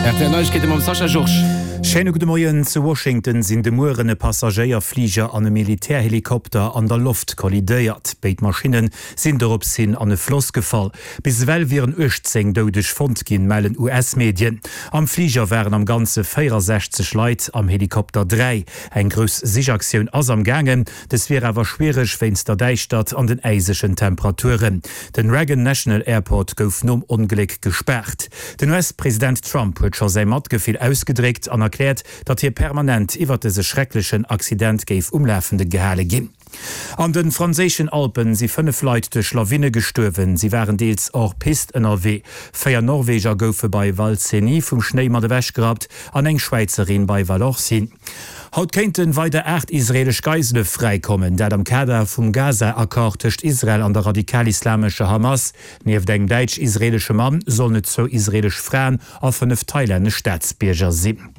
Rtl Neiegkeete mam Sascha Georges. Schéine gudde Moien. Zu Washington sinn de Mueren e Passagéierfliger an e Militärhelikopter an der Loft kollidéiert. Béid Maschinne sinn dorops hin an e Floss gefall. Bis ewell wieren 18 Doudeg fonnt ginn, mellen US-Medien. Am Fliger waren am Ganze 64 Leit, am Helikopter 3. Eng grouss Sichaktioun ass am gaangen. Dës wier awer schwiereg wéinst der Däischtert an den äisegen Temperaturen. Den Reagan National Airport gouf nom Ongléck gespaart. Den US-President Trump huet scho säi Matgefill ausgedréckt an erkläert, datt hie permanent iwwer dëse schrecklechen Accident géif um Lafende gehale ginn. An de franséischen Alpen si 5 Leit duerch Lawine gestuerwen. Si waren deels hors piste ënnerwee. 4 Norweger goufe bei Val Cenis vum Schnéi mat ewechgerappt an eng Schwäizerin bei Vallorcine. Haut kéinte weider 8 israeelesch Geisele fräikommen, dat am Kader vum Gaza-Accord tëscht Israel an der radikal-islamescher Hamas. Nieft engem däitsch-israeelesche Mann sollen et zwou israeelesch Fraen a 5 thailännesch Staatsbierger sinn.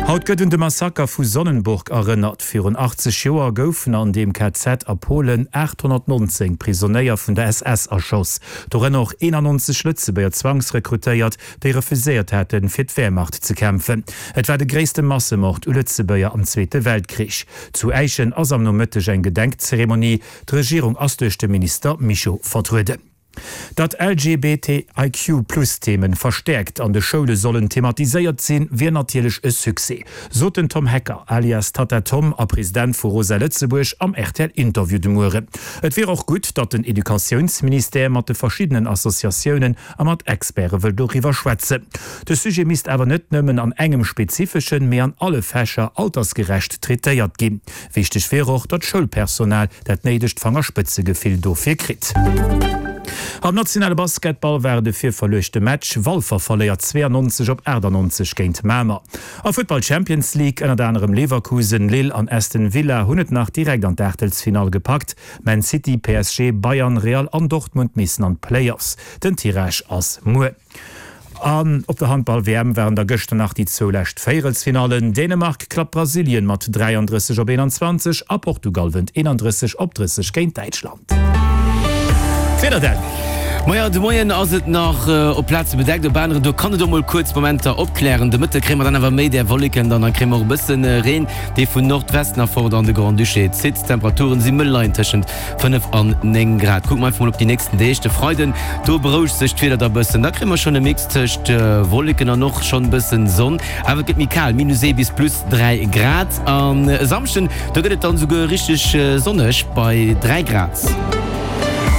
Haut gëtt un de Massaker vu Sonnenburg erënnert. Virun 80 Joer goufen an deem KZ a Polen 819 Prisonéier vun der SS erschoss, dorënner och 91 Lëtzebuerger Zwangsrekrutéiert, déi refuséiert haten, fir d'Wehrmacht ze kämpfen. Et war de gréisste Massemord u Lëtzebuerger am Zweete Weltkrich. Zu Äischen ass am Nomëtteg eng Gedenkzeremonie. D'Regierung ass duerch de Minister Mischo vertrueden. Datt LGBTIQ-Plus-Themen verstäerkt an de Schoule sollen thematiséiert sinn, wier natierlech e Succès, sot den Tom Hecker, alias Tatta Tom a President vu Rosa Lëtzebuerg am RTL-Interview de Mueren. Et wier och gutt, datt den Educatiounsministère mat de verschiddenen Associatiounen a mat Experte wëll doriwwer schwätzen. De Sujet misst awer net nëmmen an engem spezifeschen, mee an alle Fächer altersgerecht traitéiert ginn. Wichteg wier och, datt d'Schoulpersonal dat néidegt Fangerspëtzegefill dofir kritt. Am nationale Basketball war et e virverluechte Match, Walfer verléiert 92 op 98 géint Mamer. A Futtball Champions League, ënnert anerem Leverkusen, Lille an Aston Villa hunn et nach direkt an d'Aachtelsfinall gepackt. Man City, PSG, Bayern, Real an Dortmund missen an d'Playoffs. Den Tirage ass muer. An op der Handball-WM waren da gëschter nach déi zwou lescht Véierelsfinallen. Dänemark klappt Brasilien mat 33 op 21 a Portugal wënnt 31 op 30 géint Däitschland. D'Wieder dann. Maja, de Moien ass et nach op Plaze bedeckt, op aneren do kann et och mol kuerz Momenter opklären. De Mëtte kréie mer dann awer méi där Wolleken, dann kréie mer och e bësse Reen, dee vun Nordwesten erfort an de Grand-Duché zitt. D'Temperaturen si mëll, leien tëschent 5 an 9 Grad. Kucke mer einfach mol op déi nächsten Deeg. De Freiden, do berouegt sech d'Wieder da bëssen, da kréie mer schonn e Mix tëscht Wolleken an och schonn bëssen Sonn, awer et gëtt méi kal, minus 1 bis plus 3 Grad. An e Samschden, do gëtt et dann esouguer richteg sonneg bei 3 Grad.